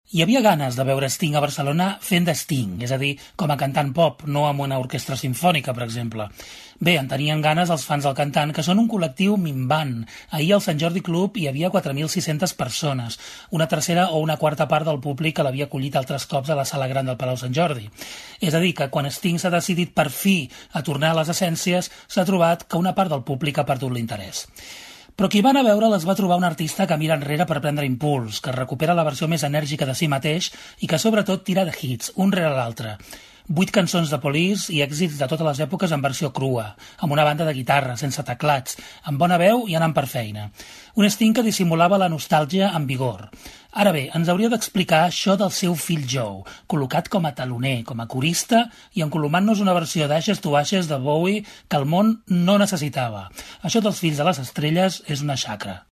Hi havia ganes de veure Sting a Barcelona fent de Sting, és a dir, com a cantant pop, no amb una orquestra simfònica, per exemple. Bé, en tenien ganes els fans del cantant, que són un col·lectiu minvant. Ahir al Sant Jordi Club hi havia 4.600 persones, una tercera o una quarta part del públic que l'havia acollit altres cops a la sala gran del Palau Sant Jordi. És a dir, que quan Sting s'ha decidit per fi a tornar a les essències, s'ha trobat que una part del públic ha perdut l'interès. Però qui va anar a veure les va trobar un artista que mira enrere per prendre impuls, que recupera la versió més enèrgica de si mateix i que sobretot tira de hits, un rere l'altre. 8 cançons de Police i èxits de totes les èpoques en versió crua, amb una banda de guitarra, sense teclats, amb bona veu i anant per feina. Un Sting que dissimulava la nostàlgia amb vigor. Ara bé, ens hauria d'explicar això del seu fill Joe, col·locat com a taloner, com a corista i encolomant-nos una versió d'Ashes to Ashes de Bowie que el món no necessitava. Això dels fills de les estrelles és una xacra.